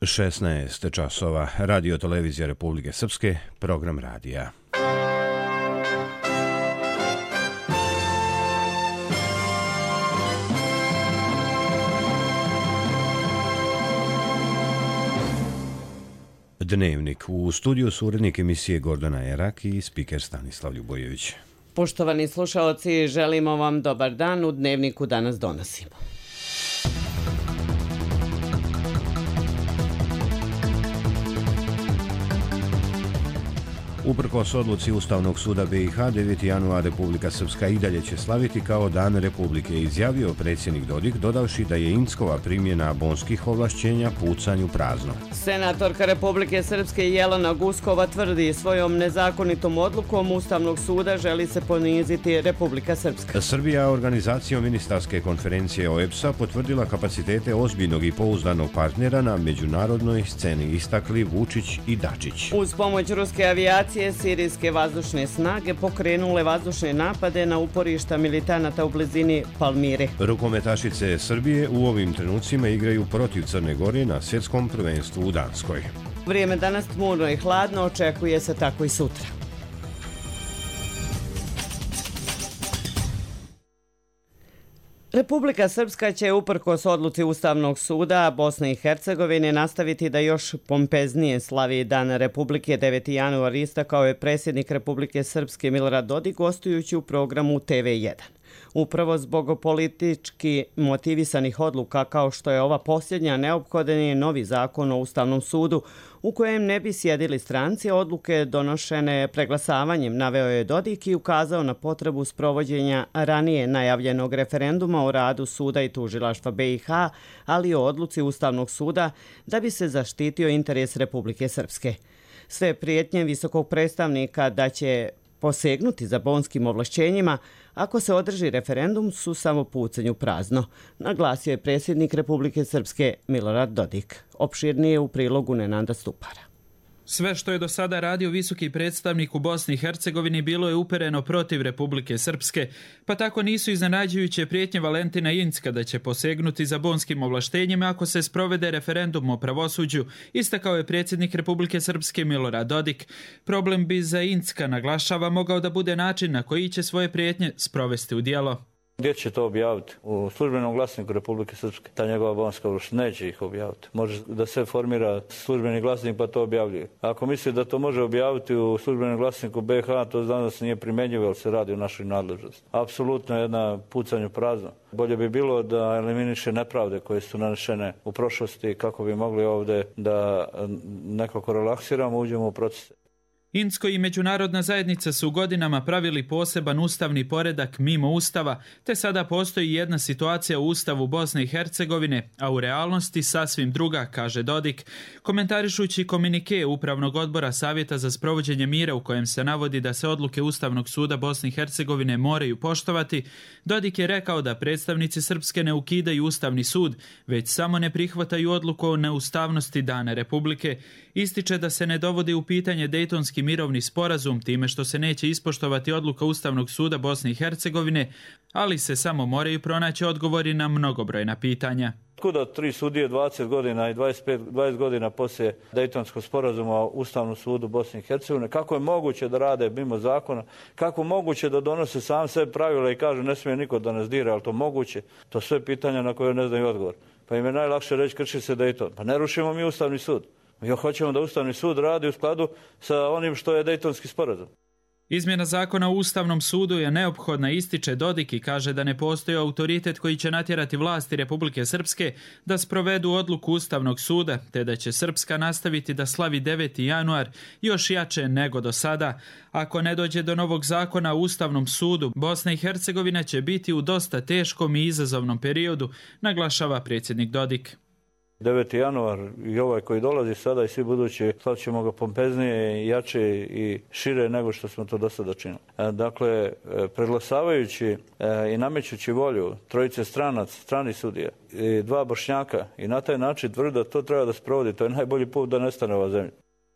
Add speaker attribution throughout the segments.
Speaker 1: 16 časova. Radio televizija Republike Srpske, program radija. Dnevnik. U studiju su urednik emisije Gordana Erak i spiker Stanislav Ljubojević.
Speaker 2: Poštovani slušaoci, želimo vam dobar dan. U Dnevniku danas donosimo.
Speaker 1: Uprkos odluci Ustavnog suda BiH, 9. januar Republika Srpska i dalje će slaviti kao Dan Republike, izjavio predsjednik Dodik, dodavši da je Inckova primjena bonskih ovlašćenja pucanju prazno.
Speaker 2: Senatorka Republike Srpske Jelena Guskova tvrdi, svojom nezakonitom odlukom Ustavnog suda želi se poniziti Republika Srpska.
Speaker 1: Srbija organizacijom ministarske konferencije OEBS-a potvrdila kapacitete ozbiljnog i pouzdanog partnera na međunarodnoj sceni, istakli Vučić i Dačić.
Speaker 2: Uz pomoć ruske avijacije sirijske vazdušne snage pokrenule vazdušne napade na uporišta militanata u blizini Palmire.
Speaker 1: Rukometašice Srbije u ovim trenucima igraju protiv Crne Gore na svjetskom prvenstvu u Danskoj.
Speaker 2: Vrijeme danas tmurno i hladno, očekuje se tako i sutra. Republika Srpska će uprkos odluci Ustavnog suda Bosne i Hercegovine nastaviti da još pompeznije slavi Dan Republike. 9. januar istakao je predsjednik Republike Srpske Milorad Dodik gostujući u programu TV1. Upravo zbog politički motivisanih odluka kao što je ova posljednja, neophodan je novi zakon o Ustavnom sudu u kojem ne bi sjedili stranci. Odluke donošene preglasavanjem naveo je Dodik i ukazao na potrebu sprovođenja ranije najavljenog referenduma o radu suda i tužilaštva BiH, ali i o odluci Ustavnog suda da bi se zaštitio interes Republike Srpske. Sve prijetnje visokog predstavnika da će posegnuti za bonskim ovlašćenjima ako se održi referendum su samo pucanju prazno, naglasio je predsjednik Republike Srpske Milorad Dodik. Opširnije u prilogu Nenada Stupara.
Speaker 3: Sve što je do sada radio visoki predstavnik u Bosni i Hercegovini bilo je upereno protiv Republike Srpske, pa tako nisu iznenađujuće prijetnje Valentina Incka da će posegnuti za bonskim ovlaštenjima ako se sprovede referendum o pravosuđu, istakao je predsjednik Republike Srpske Milorad Dodik. Problem bi za Incka, naglašava, mogao da bude način na koji će svoje prijetnje sprovesti u djelo.
Speaker 4: Gdje će to objaviti? U službenom glasniku Republike Srpske. Ta njegova bonska ovlaštenja neće ih objaviti. Može da se formira službeni glasnik pa to objavljuje. Ako misli da to može objaviti u službenom glasniku BiH, to znam da se nije primjenjivo, jer se radi o našoj nadležnosti. Apsolutno jedna pucanju prazno. Bolje bi bilo da eliminiše nepravde koje su nanešene u prošlosti kako bi mogli ovdje da nekako relaksiramo, uđemo u proces.
Speaker 3: Incko i međunarodna zajednica su godinama pravili poseban ustavni poredak mimo ustava, te sada postoji jedna situacija u ustavu Bosne i Hercegovine, a u realnosti sasvim druga, kaže Dodik. Komentarišući komunike Upravnog odbora Savjeta za sprovođenje mira u kojem se navodi da se odluke Ustavnog suda Bosne i Hercegovine moraju poštovati, Dodik je rekao da predstavnici Srpske ne ukidaju Ustavni sud, već samo ne prihvataju odluku o neustavnosti Dana Republike. Ističe da se ne dovodi u pitanje Dejtonski mirovni sporazum time što se neće ispoštovati odluka Ustavnog suda Bosne i Hercegovine, ali se samo moraju pronaći odgovori na mnogobrojna pitanja.
Speaker 4: Kuda 3 sudije 20 godina i 20 godina poslije Dejtonskog sporazuma o Ustavnom sudu Bosne i Hercegovine, kako je moguće da rade mimo zakona, kako je moguće da donose sam sve pravila i kažu ne smije niko da nas dira, ali to moguće? To sve pitanja na koje ne znaju odgovor. Pa im je najlakše reći krši se Dejton. Pa ne rušimo mi Ustavni sud. Mi hoćemo da Ustavni sud radi u skladu sa onim što je Dejtonski sporazum.
Speaker 3: Izmjena zakona o Ustavnom sudu je neophodna, ističe Dodik i kaže da ne postoji autoritet koji će natjerati vlasti Republike Srpske da sprovedu odluku Ustavnog suda, te da će Srpska nastaviti da slavi 9. januar još jače nego do sada. Ako ne dođe do novog zakona o Ustavnom sudu, Bosna i Hercegovina će biti u dosta teškom i izazovnom periodu, naglašava predsjednik Dodik.
Speaker 4: 9. januar i ovaj koji dolazi sada i svi budući slavit ćemo ga pompeznije, jače i šire nego što smo to do sada činili. Dakle, preglasavajući i namećući volju trojice stranih sudija i 2 Bošnjaka i na taj način tvrdi da to treba da sprovodi, to je najbolji put da nestane ova zemlja.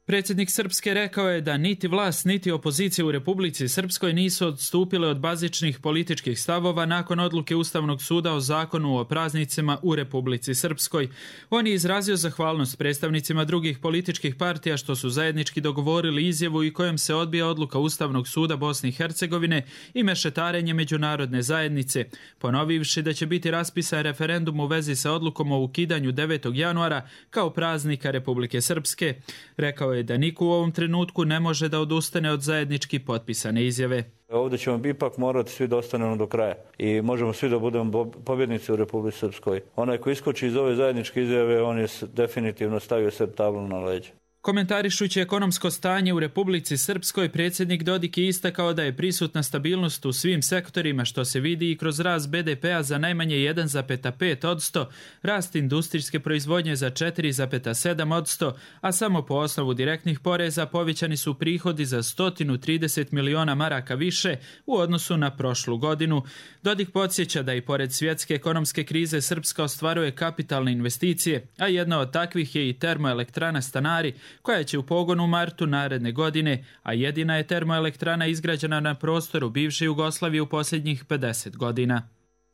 Speaker 3: Predsjednik Srpske rekao je da niti vlast, niti opozicija u Republici Srpskoj nisu odstupile od bazičnih političkih stavova nakon odluke Ustavnog suda o zakonu o praznicima u Republici Srpskoj. On je izrazio zahvalnost predstavnicima drugih političkih partija što su zajednički dogovorili izjavu i kojom se odbija odluka Ustavnog suda Bosne i Hercegovine i mešetarenje međunarodne zajednice, ponovivši da će biti raspisan referendum u vezi sa odlukom o ukidanju 9. januara kao praznika Republike Srpske. Rekao je da niko u ovom trenutku ne može da odustane od zajednički potpisane izjave.
Speaker 4: Ovdje ćemo ipak morati svi da ostanemo do kraja i možemo svi da budemo pobjednici u Republici Srpskoj. Onaj ko iskoči iz ove zajedničke izjave, on je definitivno stavio sebi tablu na leđa.
Speaker 3: Komentarišući ekonomsko stanje u Republici Srpskoj, predsjednik Dodik je istakao da je prisutna stabilnost u svim sektorima, što se vidi i kroz rast BDP-a za najmanje 1,5%, rast industrijske proizvodnje za 4,7%, a samo po osnovu direktnih poreza povećani su prihodi za 130 miliona maraka više u odnosu na prošlu godinu. Dodik podsjeća da i pored svjetske ekonomske krize Srpska ostvaruje kapitalne investicije, a jedna od takvih je i termoelektrana Stanari, koja će u pogonu u martu naredne godine, a jedina je termoelektrana izgrađena na prostoru bivše Jugoslavije u posljednjih 50 godina.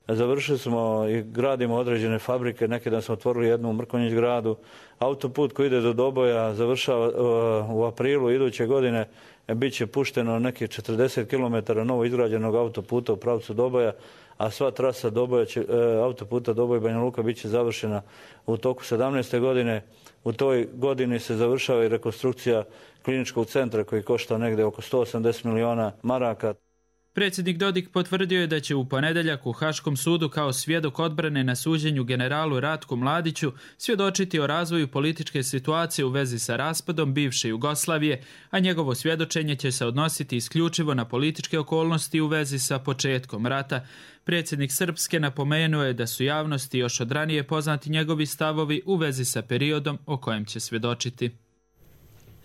Speaker 4: Završili smo i gradimo određene fabrike, neki dan smo otvorili jednu u Mrkonjić gradu. Autoput koji ide do Doboja završava u aprilu iduće godine, bit će pušteno nekih 40 km novo izgrađenog autoputa u pravcu Doboja, a sva trasa autoputa Doboj Banja Luka bit će završena u toku 17. godine. U toj godini se završava i rekonstrukcija kliničkog centra koji košta negdje oko 180 miliona maraka.
Speaker 3: Predsjednik Dodik potvrdio je da će u ponedjeljak u Haškom sudu kao svjedok odbrane na suđenju generalu Ratku Mladiću svjedočiti o razvoju političke situacije u vezi sa raspadom bivše Jugoslavije, a njegovo svjedočenje će se odnositi isključivo na političke okolnosti u vezi sa početkom rata. Predsjednik Srpske napomenuo je da su javnosti još od ranije poznati njegovi stavovi u vezi sa periodom o kojem će svjedočiti.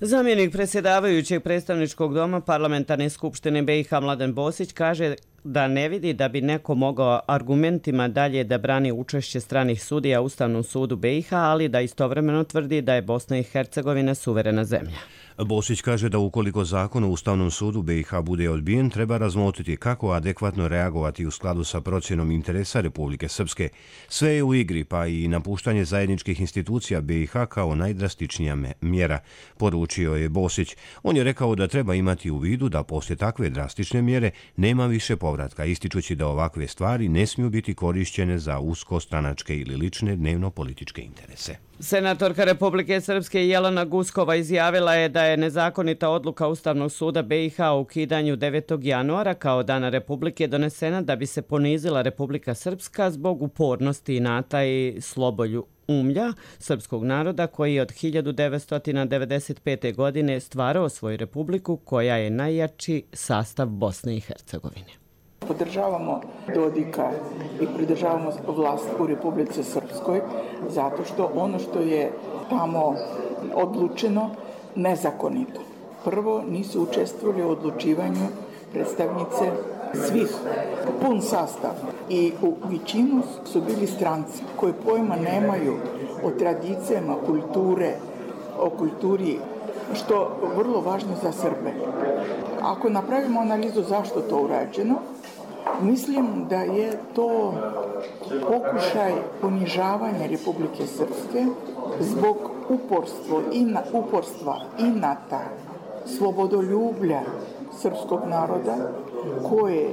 Speaker 2: Zamjenik predsjedavajućeg predstavničkog doma Parlamentarne skupštine BiH Mladen Bosić kaže da ne vidi da bi neko mogao argumentima dalje da brani učešće stranih sudija u Ustavnom sudu BiH, ali da istovremeno tvrdi da je Bosna i Hercegovina suverena zemlja.
Speaker 1: Bosić kaže da ukoliko zakon o Ustavnom sudu BiH bude odbijen, treba razmotriti kako adekvatno reagovati u skladu sa procjenom interesa Republike Srpske. Sve je u igri, pa i napuštanje zajedničkih institucija BiH kao najdrastičnija mjera, poručio je Bosić. On je rekao da treba imati u vidu da poslije takve drastične mjere nema više povratka, ističući da ovakve stvari ne smiju biti korišćene za uskostranačke ili lične dnevno-političke interese.
Speaker 2: Senatorka Republike Srpske Jelena Guskova izjavila je da je nezakonita odluka Ustavnog suda BiH o ukidanju 9. januara kao Dana Republike donesena da bi se ponizila Republika Srpska zbog upornosti inata i slobolju umlja srpskog naroda koji je od 1995. godine stvarao svoju republiku koja je najjači sastav Bosne i Hercegovine.
Speaker 5: Podržavamo Dodika i podržavamo vlast u Republici Srpskoj zato što ono što je tamo odlučeno nezakonito. Prvo, nisu učestvovali u odlučivanju predstavnice svih, pun sastav i u većinu su bili stranci koji pojma nemaju o tradicijama, o kulturi, što je vrlo važno za Srbe. Ako napravimo analizu zašto to urađeno, mislim da je to pokušaj ponižavanja Republike Srpske zbog uporstva, inata, slobodoljublja srpskog naroda koje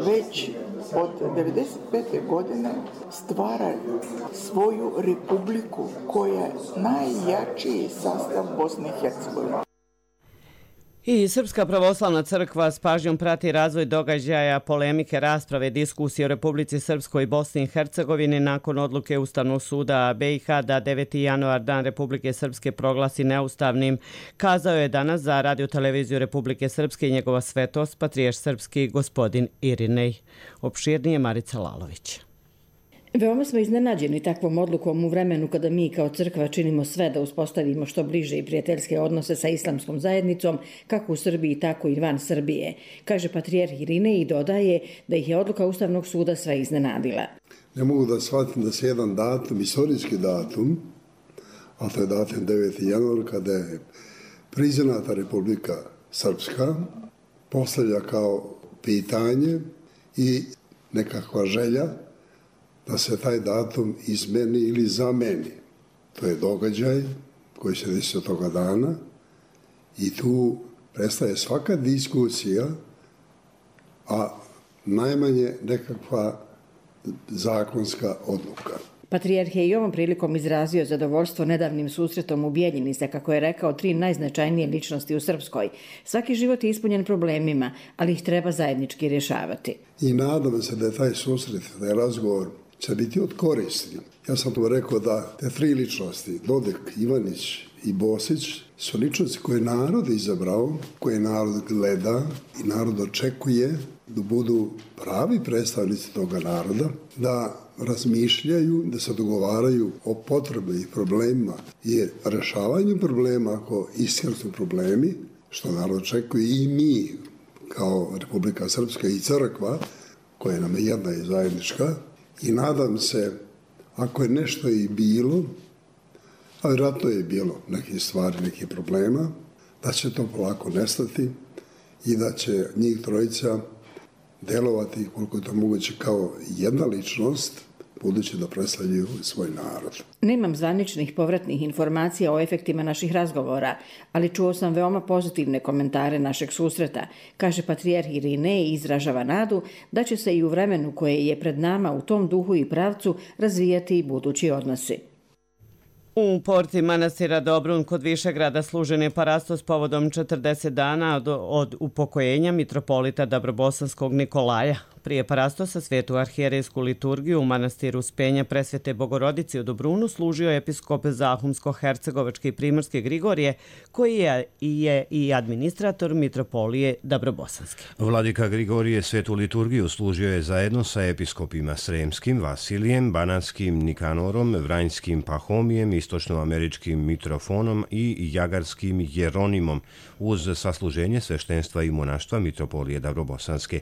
Speaker 5: već od 1995. godine stvara svoju republiku koja je najjačiji sastav Bosne i Hercegovine.
Speaker 2: I Srpska pravoslavna crkva s pažnjom prati razvoj događaja, polemike, rasprave, diskusije o Republici Srpskoj i Bosni i Hercegovini nakon odluke Ustavnog suda BiH da 9. januar Dan Republike Srpske proglasi neustavnim. Kazao je danas za Radio-televiziju Republike Srpske i njegova svetost patrijarh srpski gospodin Irinej. Opširnije Marica Lalović.
Speaker 6: Veoma smo iznenađeni takvom odlukom u vremenu kada mi kao crkva činimo sve da uspostavimo što bliže i prijateljske odnose sa islamskom zajednicom, kako u Srbiji, tako i van Srbije, kaže patrijarh Irinej i dodaje da ih je odluka Ustavnog suda sve iznenadila.
Speaker 7: Ne mogu da shvatim da se jedan datum, istorijski datum, a to je datum 9. januar, kada je priznata Republika Srpska postavlja kao pitanje i nekakva želja da se taj datum izmeni ili zameni. To je događaj koji se desi od toga dana i tu prestaje svaka diskusija, a najmanje nekakva zakonska odluka.
Speaker 6: Patrijarh je i ovom prilikom izrazio zadovoljstvo nedavnim susretom u Bijeljini sa, kako je rekao, 3 najznačajnije ličnosti u Srpskoj. Svaki život je ispunjen problemima, ali ih treba zajednički rješavati.
Speaker 7: I nadam se da je taj susret, da je razgovor će biti od koristi. Ja sam tu rekao da te 3 ličnosti, Dodik, Ivanić i Bosić, su ličnosti koje narod izabrao, koje narod gleda i narod očekuje da budu pravi predstavnici toga naroda, da razmišljaju, da se dogovaraju o potrebnim problemima i rešavanju problema ako iskreno su problemi, što narod očekuje i mi kao Republika Srpska i crkva, koja nam je jedna i zajednička, i nadam se, ako je nešto i bilo, a vjerojatno je bilo nekih stvari, nekih problema, da će to polako nestati i da će njih trojica delovati koliko je to moguće kao jedna ličnost, budući da predstavljaju svoj narod.
Speaker 6: Nemam zvaničnih povratnih informacija o efektima naših razgovora, ali čuo sam veoma pozitivne komentare našeg susreta, kaže patrijarh Irinej i izražava nadu da će se i u vremenu koje je pred nama u tom duhu i pravcu razvijati i budući odnosi.
Speaker 2: U porti manastira Dobrun kod Višegrada služen je parastos povodom 40 dana od upokojenja mitropolita Dabrobosanskog Nikolaja. Prije parastosa svetu arhijerejsku liturgiju u manastiru Spenja Presvete Bogorodice u Dobrunu služio episkop Zahumsko-Hercegovački i Primorske Grigorije, koji je i administrator mitropolije Dabrobosanske.
Speaker 1: Vladika Grigorije svetu liturgiju služio je zajedno sa episkopima Sremskim, Vasilijem, Banatskim Nikanorom, Vranjskim Pahomijem, istočnoameričkim Mitrofonom i Jagarskim Jeronimom, uz sasluženje sveštenstva i monaštva mitropolije Dabrobosanske.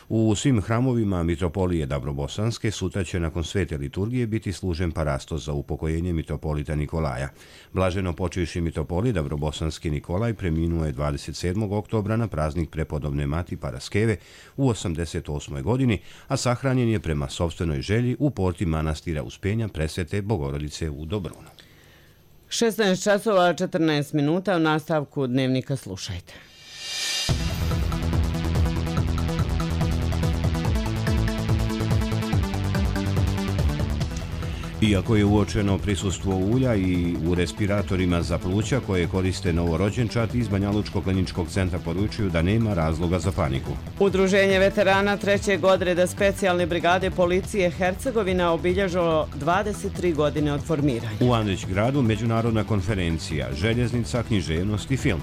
Speaker 1: U svim hramovima mitropolije Dabrobosanske sutra će nakon svete liturgije biti služen parastos za upokojenje mitropolita Nikolaja. Blaženo počivši mitropolij Dabrobosanski Nikolaj preminuo je 27. oktobra na praznik prepodobne Mati Paraskeve u 88. godini, a sahranjen je prema sopstvenoj želji u porti manastira Uspenja Presvete Bogorodice u Dobrunu.
Speaker 2: 16 časova 14 minuta, u nastavku dnevnika slušajte.
Speaker 1: Iako je uočeno prisustvo ulja i u respiratorima za pluća koje koriste novorođenčad, iz Banjalučkog kliničkog centra poručuju da nema razloga za paniku.
Speaker 2: Udruženje veterana 3. odreda specijalne brigade policije Hercegovina obilježilo 23 godine od formiranja.
Speaker 1: U Andrić gradu međunarodna konferencija, željeznica, književnost i film.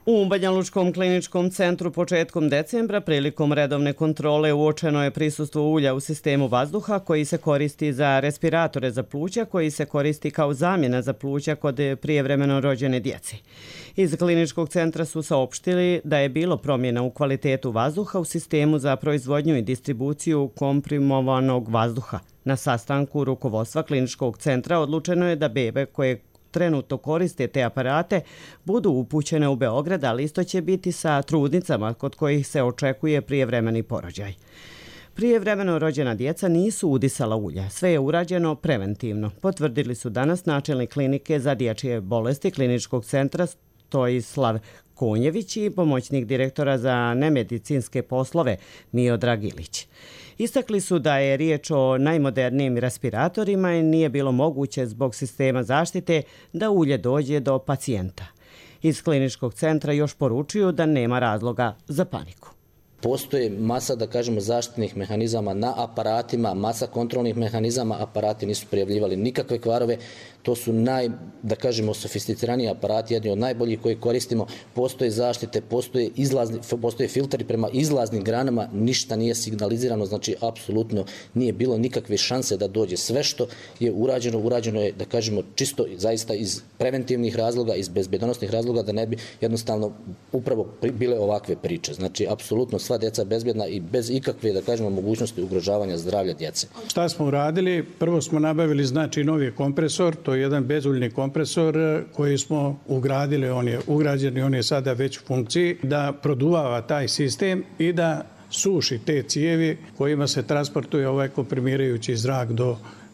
Speaker 2: U Banjalučkom kliničkom centru početkom decembra prilikom redovne kontrole uočeno je prisustvo ulja u sistemu vazduha koji se koristi za respiratore za pluća, koji se koristi kao zamjena za pluća kod prijevremeno rođene djece. Iz kliničkog centra su saopštili da je bilo promjena u kvalitetu vazduha u sistemu za proizvodnju i distribuciju komprimovanog vazduha. Na sastanku rukovodstva kliničkog centra odlučeno je da bebe koje trenutno koriste te aparate budu upućene u Beograd, ali isto će biti sa trudnicama kod kojih se očekuje prijevremeni porođaj. Prijevremeno rođena djeca nisu udisala ulja, sve je urađeno preventivno, potvrdili su danas načelnik klinike za dječje bolesti kliničkog centra Stojislav Konjević i pomoćnik direktora za nemedicinske poslove Miodrag Ilić. Istakli su da je riječ o najmodernijim respiratorima i nije bilo moguće zbog sistema zaštite da ulje dođe do pacijenta. Iz kliničkog centra još poručuju da nema razloga za paniku.
Speaker 8: Postoje masa, da kažemo, zaštitnih mehanizama na aparatima, masa kontrolnih mehanizama, aparati nisu prijavljivali nikakve kvarove, to su sofisticiraniji aparati, jedni od najboljih koji koristimo, postoje zaštite, postoje filteri prema izlaznim granama, ništa nije signalizirano, znači apsolutno nije bilo nikakve šanse da dođe. Sve što je urađeno je, da kažemo, čisto zaista iz preventivnih razloga, iz bezbednosnih razloga, da ne bi jednostavno upravo bile ovakve priče. Znači, apsolutno sva djeca bezbjedna i bez ikakve, da kažemo, mogućnosti ugrožavanja zdravlja djece.
Speaker 9: Šta smo uradili? Prvo smo nabavili, znači, novi kompresor, to je jedan bezuljni kompresor koji smo ugradili, on je ugrađen i on je sada već u funkciji, da produvava taj sistem i da suši te cijevi kojima se transportuje ovaj komprimirajući zrak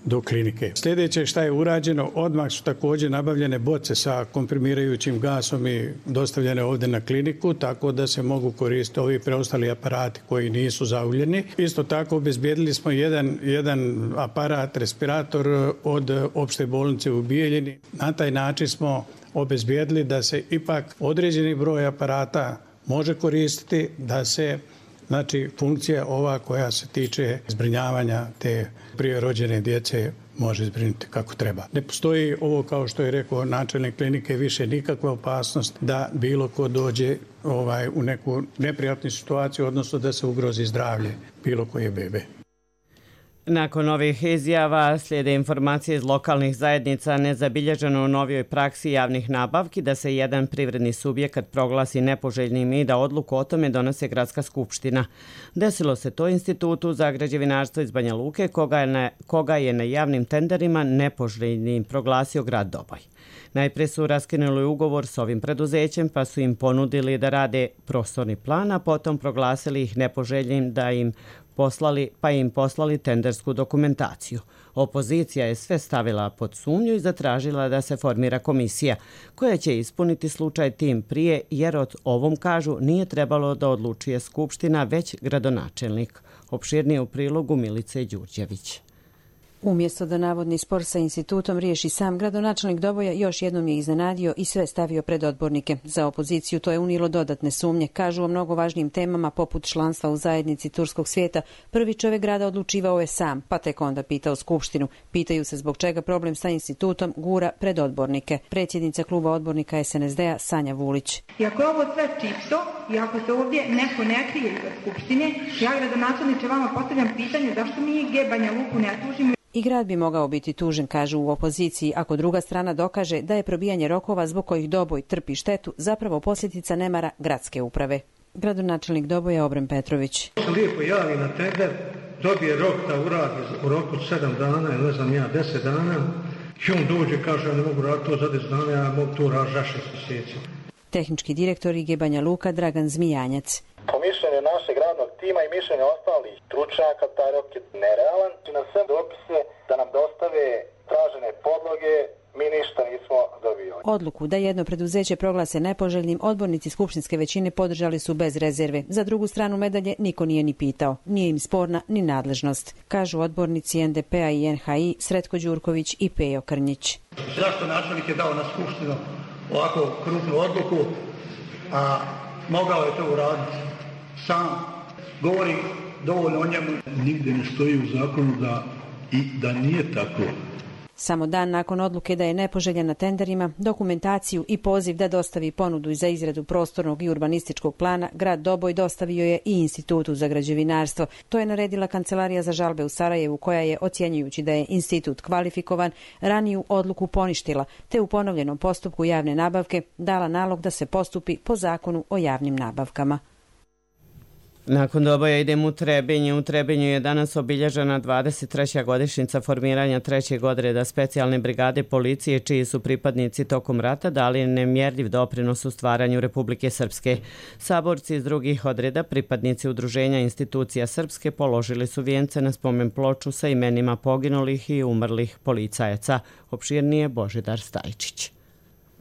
Speaker 9: do klinike. Sljedeće šta je urađeno, odmah su također nabavljene boce sa komprimirajućim gasom i dostavljene ovdje na kliniku, tako da se mogu koristiti ovi preostali aparati koji nisu zauljeni. Isto tako obezbijedili smo jedan aparat, respirator od opšte bolnice u Bijeljini. Na taj način smo obezbijedili da se ipak određeni broj aparata može koristiti, da se, znači, funkcija ova koja se tiče zbrinjavanja te prije rođene djece može zbrinuti kako treba. Ne postoji ovo, kao što je rekao načelnik klinike, više nikakva opasnost da bilo ko dođe u neku neprijatnu situaciju, odnosno da se ugrozi zdravlje bilo koje bebe.
Speaker 2: Nakon ovih izjava slijede informacije iz lokalnih zajednica nezabilježeno u novijoj praksi javnih nabavki da se jedan privredni subjekat proglasi nepoželjnim i da odluku o tome donose Gradska skupština. Desilo se to Institutu za građevinarstvo iz Banja Luke, koga je na javnim tenderima nepoželjnim proglasio grad Doboj. Najprije su raskinuli ugovor s ovim preduzećem pa su im ponudili da rade prostorni plan, a potom proglasili ih nepoželjnim pa im poslali tendersku dokumentaciju. Opozicija je sve stavila pod sumnju i zatražila da se formira komisija koja će ispuniti slučaj tim prije, jer o ovom, kažu, nije trebalo da odlučuje skupština, već gradonačelnik. Opširnije u prilogu Milice Đurđević.
Speaker 10: Umjesto da navodni spor sa institutom riješi sam, gradonačelnik Doboja još jednom je iznenadio i sve stavio pred odbornike. Za opoziciju to je unijelo dodatne sumnje. Kažu, o mnogo važnijim temama poput članstva u zajednici turskog svijeta prvi čovjek grada odlučivao je sam, pa tek onda pitao skupštinu. Pitaju se zbog čega problem sa institutom gura pred odbornike. Predsjednica kluba odbornika SNSD-a Sanja Vulić.
Speaker 11: I ako je ovo sve čisto i ako se ovdje neko ne krije iza skupštine, ja, gradonačelniče, vama postavljam pitanje zašto mi Banja Luku ne tužimo.
Speaker 10: I grad bi mogao biti tužen, kažu u opoziciji, ako druga strana dokaže da je probijanje rokova zbog kojih Doboj trpi štetu zapravo posljedica nemara gradske uprave. Gradonačelnik Doboja Obren Petrović.
Speaker 12: Se lijepo javi na tender, dobije rok da uradi u roku 7 dana ili 10 dana i on dođe, kaže, ja ne mogu raditi to za 10 dana, ja mogu to raditi za 6 mjeseci.
Speaker 10: Tehnički direktor IG Banja Luka Dragan Zmijanjac.
Speaker 13: Po mišljenju našeg radnog tima i mišljenju ostalih stručnjaka, taj rok je nerealan. Na sve dopise da nam dostave tražene podloge, mi ništa nismo dobili.
Speaker 10: Odluku da jedno preduzeće proglase nepoželjnim odbornici skupštinske većine podržali su bez rezerve. Za drugu stranu medalje niko nije ni pitao. Nije im sporna ni nadležnost, kažu odbornici NDP-a i NHI Sretko Đurković i Pejo Krnjić.
Speaker 12: Zašto načelnik je dao na skupštinu ovako krupnu odluku, a mogao je to uraditi sam? Govori dovoljno o njemu. Nigdje ne stoji u zakonu da nije tako.
Speaker 10: Samo dan nakon odluke da je nepoželjan na tenderima, dokumentaciju i poziv da dostavi ponudu za izradu prostornog i urbanističkog plana, grad Doboj dostavio je i Institutu za građevinarstvo. To je naredila Kancelarija za žalbe u Sarajevu, koja je, ocjenjujući da je institut kvalifikovan, raniju odluku poništila, te u ponovljenom postupku javne nabavke dala nalog da se postupi po zakonu o javnim nabavkama.
Speaker 2: Nakon Doboja idem u Trebinje. U Trebinju je danas obilježena 23. godišnjica formiranja 3. odreda specijalne brigade policije, čiji su pripadnici tokom rata dali nemjerljiv doprinos u stvaranju Republike Srpske. Saborci iz drugih odreda, pripadnici udruženja institucija Srpske, položili su vijence na spomen ploču sa imenima poginulih i umrlih policajaca. Opširnije Božidar Stajčić.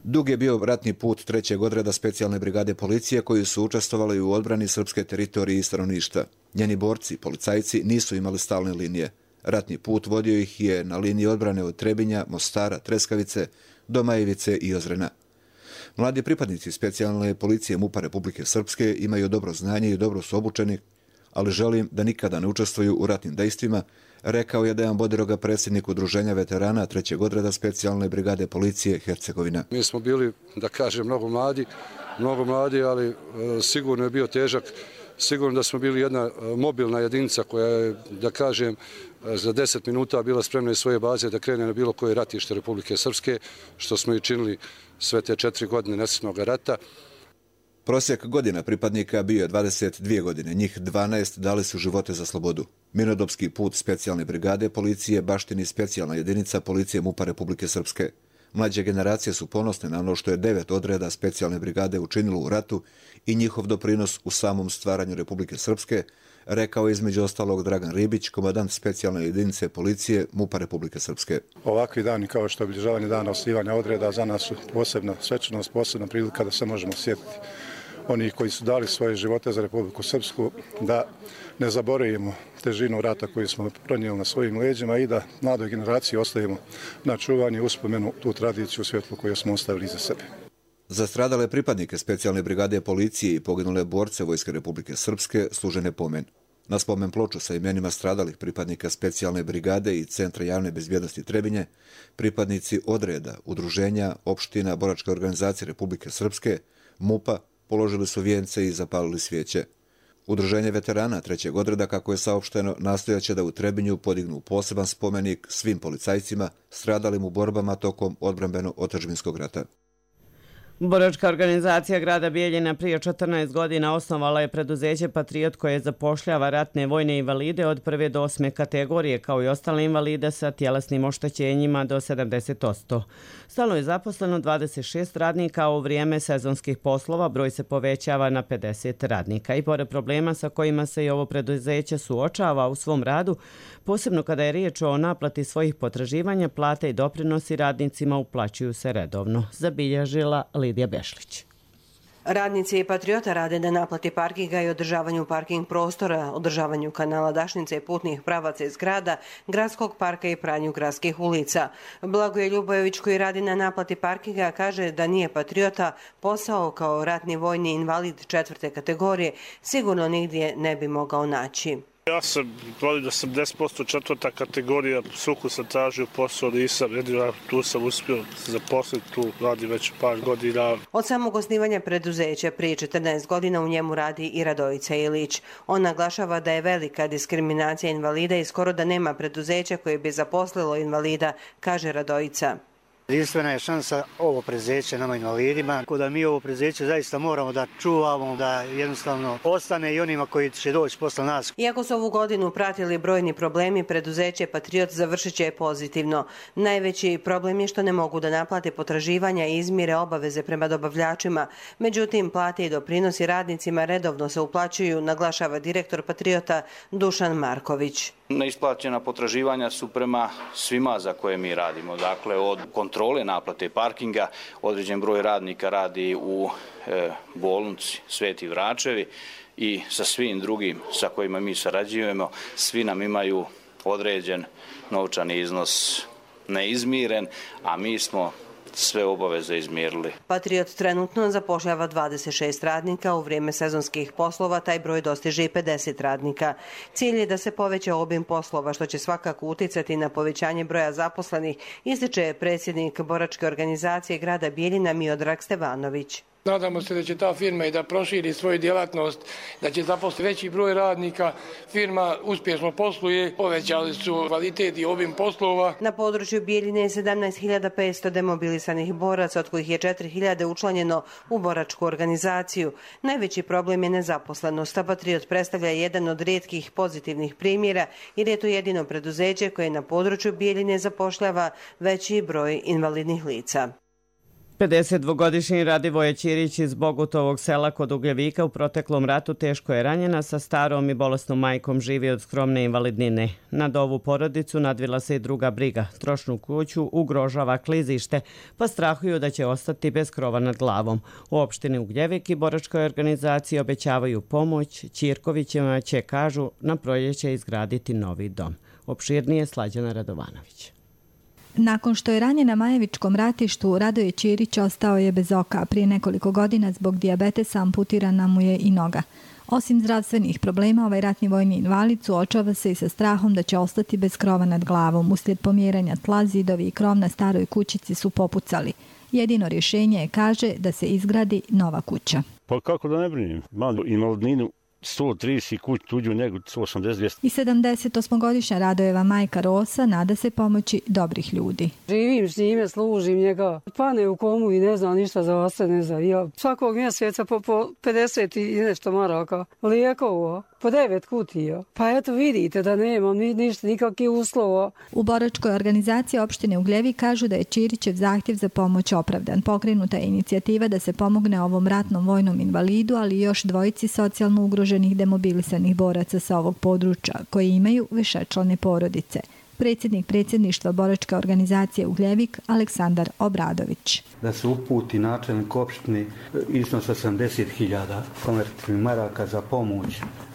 Speaker 14: Dug je bio ratni put 3. odreda specijalne brigade policije koji su učestvovali u odbrani srpske teritorije i stanovništva. Njeni borci, policajci, nisu imali stalne linije. Ratni put vodio ih je na liniji odbrane od Trebinja, Mostara, Treskavice, do Majevice i Ozrena. Mladi pripadnici specijalne policije MUP-a Republike Srpske imaju dobro znanje i dobro su obučeni, ali želim da nikada ne učestvuju u ratnim dejstvima, rekao je Dejan Bodiroga, predsjednik Udruženja veterana 3. odreda specijalne brigade policije Hercegovina.
Speaker 15: Mi smo bili, da kažem, mnogo mladi, ali sigurno je bio težak. Sigurno da smo bili jedna mobilna jedinica koja je, da kažem, za 10 minuta bila spremna iz svoje baze da krene na bilo koje ratište Republike Srpske, što smo i činili sve te 4 godine nesretnog rata.
Speaker 14: Prosjek godina pripadnika bio je 22 godine, njih 12 dali su živote za slobodu. Mirnodopski put specijalne brigade policije baštini specijalna jedinica policije MUP-a Republike Srpske. Mlađe generacije su ponosne na ono što je 9 odreda specijalne brigade učinilo u ratu i njihov doprinos u samom stvaranju Republike Srpske, rekao je između ostalog Dragan Ribić, komandant specijalne jedinice policije MUP-a Republike Srpske.
Speaker 16: Ovakvi dani kao što je obilježavanje dana osnivanja odreda za nas su posebna svečanost, posebna prilika da se možemo sjetiti onih koji su dali svoje živote za Republiku Srpsku, da ne zaboravimo težinu rata koju smo pronijeli na svojim leđima i da mladoj generaciji ostavimo na čuvanje i uspomenu tu tradiciju svjetlu koju smo ostavili iza sebe.
Speaker 14: Za stradale pripadnike specijalne brigade policije i poginule borce Vojske Republike Srpske služe pomen. Na spomen ploču sa imenima stradalih pripadnika specijalne brigade i Centra javne bezbjednosti Trebinje, pripadnici odreda, udruženja, opština, boračke organizacije Republike Srpske, MUP-a, položili su vijence i zapalili svijeće. Udruženje veterana 3. odreda, kako je saopšteno, nastojaće da u Trebinju podignu poseban spomenik svim policajcima stradalim u borbama tokom odbrambeno-otadžbinskog rata.
Speaker 2: Boračka organizacija grada Bijeljina prije 14 godina osnovala je preduzeće Patriot koje zapošljava ratne vojne invalide od 1. do 8. kategorije, kao i ostale invalide sa tjelesnim oštećenjima do 70%. Stalno je zaposleno 26 radnika, a u vrijeme sezonskih poslova broj se povećava na 50 radnika. I pored problema sa kojima se i ovo preduzeće suočava u svom radu, posebno kada je riječ o naplati svojih potraživanja, plate i doprinosi radnicima uplaćuju se redovno, zabilježila Lidija Bešlić.
Speaker 17: Radnici Patriota rade na naplati parkinga i održavanju parking prostora, održavanju kanala Dašnice i putnih pravaca iz grada, gradskog parka i pranju gradskih ulica. Blagoje Ljubojević, koji radi na naplati parkinga, kaže da nije Patriota posao kao ratni vojni invalid 4. kategorije sigurno nigdje ne bi mogao naći.
Speaker 18: Ja sam invalid 80% 4. kategorija, suku sam tražio posao, nisam, jedino tu sam uspio zaposliti, tu radi već par godina.
Speaker 17: Od samog osnivanja preduzeća prije 14 godina u njemu radi i Radojica Ilić. On naglašava da je velika diskriminacija invalida i skoro da nema preduzeća koje bi zaposlilo invalida, kaže Radojica.
Speaker 19: Jedinstvena je šansa ovo preduzeće nama invalidima, tako da mi ovo preduzeće zaista moramo da čuvamo, da jednostavno ostane i onima koji će doći posle nas.
Speaker 17: Iako su ovu godinu pratili brojni problemi, preduzeće Patriot završit će pozitivno. Najveći problem je što ne mogu da naplate potraživanja i izmire obaveze prema dobavljačima. Međutim, plate i doprinosi radnicima redovno se uplaćuju, naglašava direktor Patriota Dušan Marković.
Speaker 20: Neisplaćena potraživanja su prema svima za koje mi radimo. Dakle, od kontrole naplate parkinga, određen broj radnika radi u bolnici Sveti Vračevi i sa svim drugim sa kojima mi sarađujemo, svi nam imaju određen novčani iznos neizmiren, a mi smo sve obaveze izmirili.
Speaker 17: Patriot trenutno zapošljava 26 radnika, u vrijeme sezonskih poslova taj broj dostiže i 50 radnika. Cilj je da se poveća obim poslova, što će svakako uticati na povećanje broja zaposlenih, ističe predsjednik boračke organizacije grada Bijeljina Miodrag Stevanović.
Speaker 21: Nadamo se da će ta firma i da proširi svoju djelatnost, da će zaposliti veći broj radnika. Firma uspješno posluje, povećali su kvalitet i obim poslova.
Speaker 17: Na području Bijeljine je 17.500 demobilisanih boraca, od kojih je 4.000 učlanjeno u boračku organizaciju. Najveći problem je nezaposlenost, a Patriot predstavlja jedan od rijetkih pozitivnih primjera jer je to jedino preduzeće koje na području Bijeljine zapošljava veći broj invalidnih lica.
Speaker 2: 52-godišnji Radivoje Ćirić iz Bogutovog sela kod Ugljevika u proteklom ratu teško je ranjena, sa starom i bolesnom majkom, živi od skromne invalidnine. Nad ovu porodicu nadvila se i druga briga. Trošnu kuću ugrožava klizište, pa strahuju da će ostati bez krova nad glavom. U opštini Ugljevik i boračkoj organizaciji obećavaju pomoć. Ćirkovićima će, kažu, na proljeće izgraditi novi dom. Opširnije Slađana Radovanović.
Speaker 4: Nakon što je ranjen na Majevičkom ratištu, Radoje Ćirić ostao je bez oka. Prije nekoliko godina zbog dijabetesa amputirana mu je i noga. Osim zdravstvenih problema, ovaj ratni vojni invalid suočava se i sa strahom da će ostati bez krova nad glavom. Uslijed pomjeranja tla, zidovi i krov na staroj kućici su popucali. Jedino rješenje je, kaže, da se izgradi nova kuća.
Speaker 22: Pa kako da ne brinim? Imam invalidninu 130 kuć, tuđu nego 180-200.
Speaker 4: I 78-godišnja Radojeva majka Rosa nada se pomoći dobrih ljudi.
Speaker 23: Živim s njime, služim njega. Pane u komu i ne znam ništa za ostane, ne znam. Ja svakog mjeseca po 50 i nešto maraka. Lijekova, po 9 kutija. Pa eto vidite da nemam ništa, nikakvih uslova.
Speaker 4: U boračkoj organizaciji opštine Ugljevik kažu da je Ćirićev zahtjev za pomoć opravdan. Pokrenuta je inicijativa da se pomogne ovom ratnom vojnom invalidu, ali i još dvojici socijalno ugroženih demobilisanih boraca sa ovog područja, koji imaju višečlane porodice. Predsjednik predsjedništva boračke organizacije Ugljevik, Aleksandar Obradović.
Speaker 24: Da se uputi načelnik opštine iznos 80.000 konvertibilnih maraka za pomoć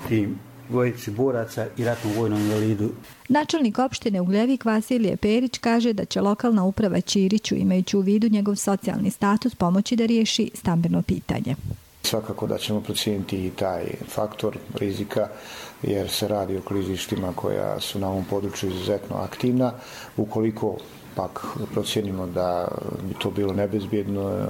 Speaker 24: tim dvojici boraca i ratnom vojnom invalidu.
Speaker 4: Načelnik opštine Ugljevik Vasilije Perić kaže da će lokalna uprava Ćiriću, imajući u vidu njegov socijalni status, pomoći da riješi stambeno pitanje.
Speaker 25: Svakako da ćemo procijeniti i taj faktor rizika jer se radi o klizištima koja su na ovom području izuzetno aktivna. Ukoliko pak procijenimo da bi to bilo nebezbjedno,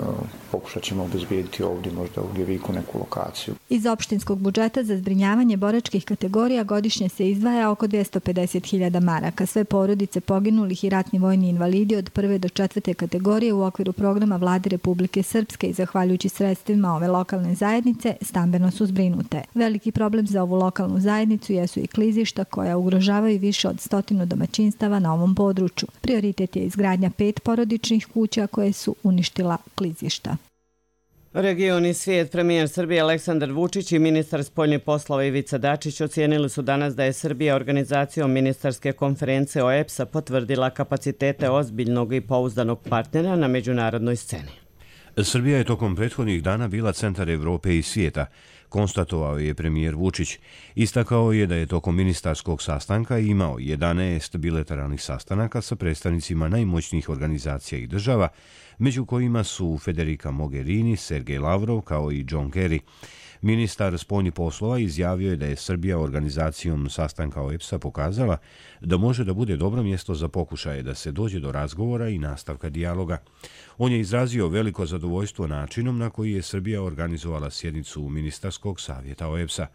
Speaker 25: pokušat ćemo obezbijediti ovdje možda u Gljeviku neku lokaciju.
Speaker 4: Iz opštinskog budžeta za zbrinjavanje boračkih kategorija godišnje se izdvaja oko 250.000 maraka. Sve porodice poginulih i ratni vojni invalidi od 1. do 4. kategorije u okviru programa Vlade Republike Srpske i zahvaljujući sredstvima ove lokalne zajednice stambeno su zbrinute. Veliki problem za ovu lokalnu zajednicu jesu i klizišta koja ugrožavaju više od 100 domaćinstava na ovom području. Prioritet je izgradnja 5 porodičnih kuća koje su uništila klizišta.
Speaker 2: Region i svijet, premijer Srbije Aleksandar Vučić i ministar spoljnih poslova Ivica Dačić ocijenili su danas da je Srbija organizacijom ministarske konferencije OEBS-a potvrdila kapacitete ozbiljnog i pouzdanog partnera na međunarodnoj sceni.
Speaker 1: Srbija je tokom prethodnih dana bila centar Evrope i svijeta, konstatovao je premijer Vučić. Istakao je da je tokom ministarskog sastanka imao 11 bilateralnih sastanaka sa predstavnicima najmoćnijih organizacija i država, među kojima su Federica Mogherini, Sergej Lavrov kao i John Kerry. Ministar spoljnih poslova izjavio je da je Srbija organizacijom sastanka OEBS-a pokazala da može da bude dobro mjesto za pokušaje da se dođe do razgovora i nastavka dijaloga. On je izrazio veliko zadovoljstvo načinom na koji je Srbija organizovala sjednicu Ministarskog savjeta OEBS-a.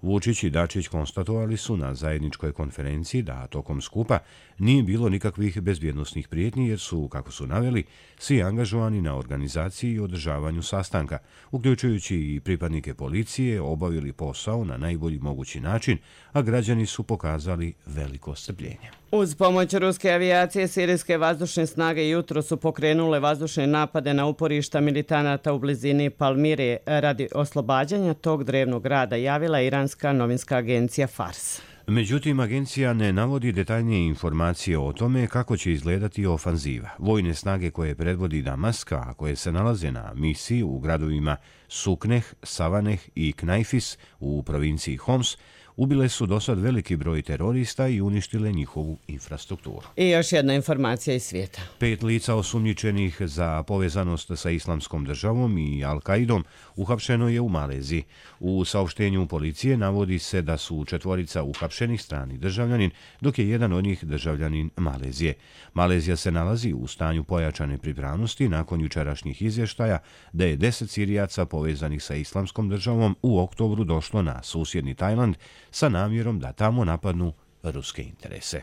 Speaker 1: Vučić i Dačić konstatovali su na zajedničkoj konferenciji da tokom skupa nije bilo nikakvih bezbjednosnih prijetnji jer su, kako su naveli, svi angažovani na organizaciji i održavanju sastanka, uključujući i pripadnike policije, obavili posao na najbolji mogući način, a građani su pokazali veliko strpljenje.
Speaker 2: Uz pomoć ruske avijacije, sirijske vazdušne snage jutro su pokrenule vazdušne napade na uporišta militanata u blizini Palmire radi oslobađanja tog drevnog grada, javila iranska novinska agencija Fars.
Speaker 1: Međutim, agencija ne navodi detaljnije informacije o tome kako će izgledati ofanziva. Vojne snage koje predvodi Damask, a koje se nalaze na misiji u gradovima Sukneh, Savaneh i Knajfis u provinciji Homs, ubile su dosad veliki broj terorista i uništile njihovu infrastrukturu.
Speaker 2: I još jedna informacija iz svijeta.
Speaker 1: 5 lica osumnjičenih za povezanost sa Islamskom državom i Al-Kaidom uhapšeno je u Maleziji. U saopštenju policije navodi se da su 4 uhapšenih strani državljanin, dok je jedan od njih državljanin Malezije. Malezija se nalazi u stanju pojačane pripravnosti nakon jučerašnjih izvještaja da je 10 Sirijaca povezanih sa Islamskom državom u oktobru došlo na susjedni Tajland sa namjerom da tamo napadnu ruske interese.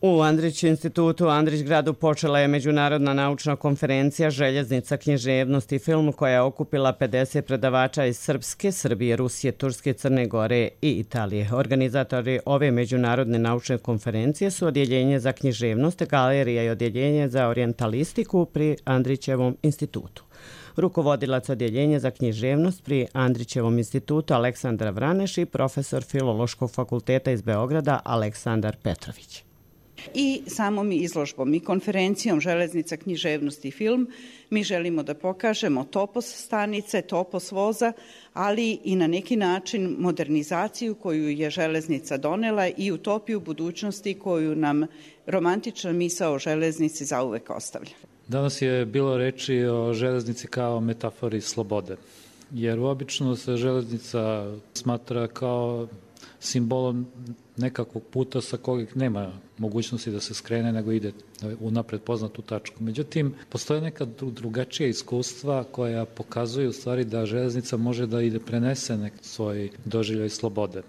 Speaker 2: U Andrić institutu Andrićgradu počela je međunarodna naučna konferencija Željeznica, književnost i film koja je okupila 50 predavača iz Srpske, Srbije, Rusije, Turske, Crne Gore i Italije. Organizatori ove međunarodne naučne konferencije su Odjeljenje za književnost, Galerija i Odjeljenje za orijentalistiku pri Andrićevom institutu. Rukovodilac Odjeljenja za književnost pri Andrićevom institutu Aleksandar Vraneš i profesor Filološkog fakulteta iz Beograda Aleksandar Petrović.
Speaker 3: I samom izložbom i konferencijom Železnica, književnost i film mi želimo da pokažemo topos stanice, topos voza, ali i na neki način modernizaciju koju je železnica donela i utopiju budućnosti koju nam romantična misao o železnici zauvek ostavlja.
Speaker 5: Danas je bilo reči o železnici kao metafori slobode, jer obično se železnica smatra kao simbolom nekakvog puta sa kojeg nema mogućnosti da se skrene, nego ide u napred poznatu tačku. Međutim, postoje neka drugačija iskustva koja pokazuju u stvari da železnica može da ide prenese nek svoj doživljaj slobode.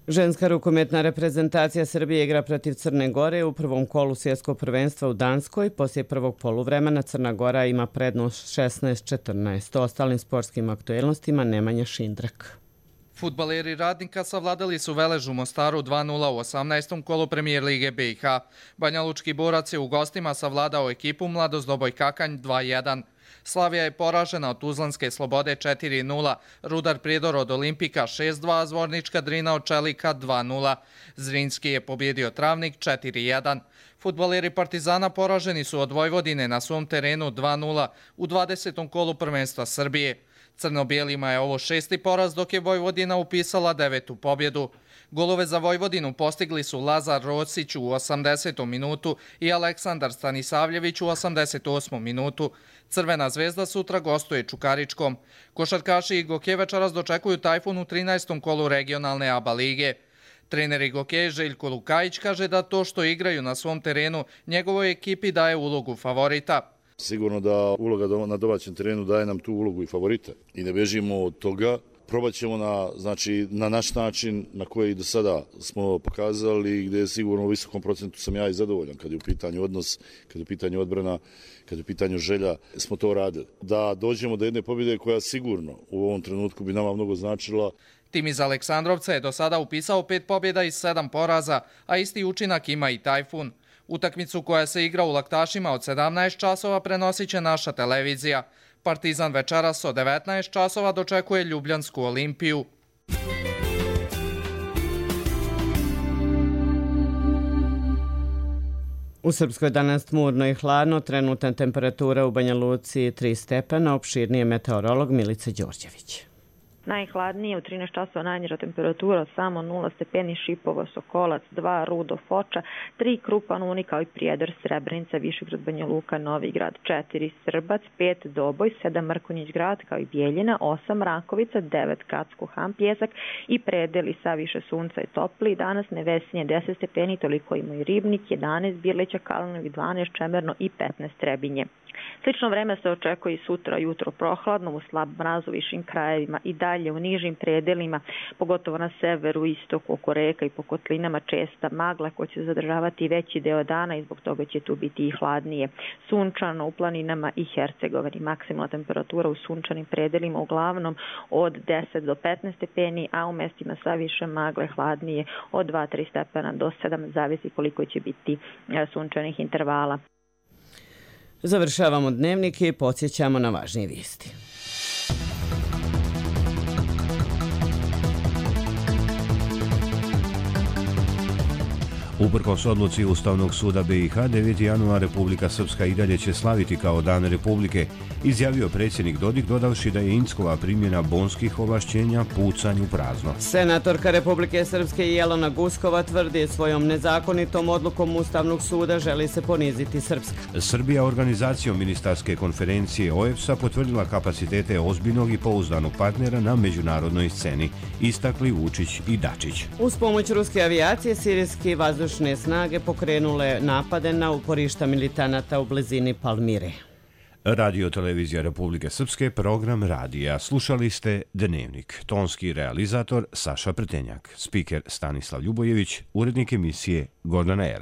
Speaker 2: Ženska rukometna reprezentacija Srbije igra protiv Crne Gore u prvom kolu svjetskog prvenstva u Danskoj. Poslije prvog poluvremena Crna Gora ima prednost 16-14. O ostalim sportskim aktuelnostima Nemanja Šindrak.
Speaker 6: Fudbaleri Radnika savladali su Velež u Mostaru 2-0 u 18. kolu Premijer Lige BiH. Banjalučki Borac je u gostima savladao ekipu Mladost Doboj Kakanj 2-1. Slavija je poražena od Tuzlanske Slobode 4-0, Rudar Prijedor od Olimpika 6-2, Zvornička Drina od Čelika 2-0. Zrinski je pobjedio Travnik 4-1. Fudbaleri Partizana poraženi su od Vojvodine na svom terenu 2-0 u 20. kolu prvenstva Srbije. Crno-bijelima je ovo 6. poraz, dok je Vojvodina upisala 9. pobjedu. Golove za Vojvodinu postigli su Lazar Rosić u 80. minutu i Aleksandar Stanisavljević u 88. minutu. Crvena zvezda sutra gostuje Čukaričkom. Košarkaši i Goke večeras dočekuju Tajfun u 13. kolu regionalne ABA lige. Trener Goke Željko Lukajić kaže da to što igraju na svom terenu njegovoj ekipi daje ulogu favorita.
Speaker 7: Sigurno da uloga na domaćem terenu daje nam tu ulogu i favorita. I ne bežimo od toga. Probat ćemo na naš način na koji do sada smo pokazali, gdje je sigurno u visokom procentu sam ja i zadovoljan kad je u pitanju odnos, kad je u pitanju odbrana, kad je u pitanju želja, smo to radili. Da dođemo do jedne pobjede koja sigurno u ovom trenutku bi nama mnogo značila.
Speaker 6: Tim iz Aleksandrovca je do sada upisao 5 pobjeda i 7 poraza, a isti učinak ima i Tajfun. Utakmicu koja se igra u Laktašima od 17 časova prenosit će naša televizija. Partizan večeras od 19 časova dočekuje Ljubljansku Olimpiju.
Speaker 2: U Srpskoj danas tmurno i hladno, trenutna temperatura u Banja Luci 3 stepena, opširnije meteorolog Milica Đorđević.
Speaker 8: Najhladnije u 13 časova najniža temperatura samo 0 stepeni Šipovo, Sokolac 2, Rudo, Foča 3, Krupan, Uni kao i Prijedor, Srebrenica, Višegrad, Banja Luka, Novi Grad 4, Srbac 5, Doboj 7, Mrkonjić Grad kao i Bijeljina 8, Rakovica 9, Kacku, Han, Pjesak i predeli sa više sunca i topli. Danas Nevesinje 10 stepeni, toliko ima i Ribnik 11, Birlića, Kalinovi 12, Čemerno i 15 Trebinje. Slično vreme se očekuje i sutra jutro prohladno, u slab mraz u višim krajevima i dalje u nižim predelima, pogotovo na severu, istoku, oko reka i po kotlinama česta magla koja će zadržavati veći deo dana i zbog toga će tu biti i hladnije. Sunčano u planinama i Hercegovini. Maksimalna temperatura u sunčanim predelima uglavnom od 10 do 15 stepeni, a u mestima sa više magle hladnije od 2-3 stepena do 7, zavisi koliko će biti sunčanih intervala.
Speaker 2: Završavamo dnevnike i podsjećamo na važnije vijesti.
Speaker 1: Uprkos odluci Ustavnog suda BiH, 9. januar Republika Srpska i dalje će slaviti kao Dan Republike, izjavio predsjednik Dodik, dodavši da je Inckova primjena bonskih ovlašćenja pucanj u prazno.
Speaker 2: Senatorka Republike Srpske Jelena Guskova tvrdi svojom nezakonitom odlukom Ustavnog suda želi se poniziti Srpska.
Speaker 1: Srbija organizacijom ministarske konferencije OEBS-a potvrdila kapacitete ozbiljnog i pouzdanog partnera na međunarodnoj sceni, istakli Vučić i Dačić.
Speaker 2: Uz pomoć ruske avijacije, sirijski vazdušne snage pokrenule napade na uporišta militanata u blizini Palmire.
Speaker 1: Radio Televizija Republike Srpske, program radija. Slušali ste Dnevnik. Tonski realizator Saša Prtenjak, spiker Stanislav Ljubojević, urednik emisije Gordana Er.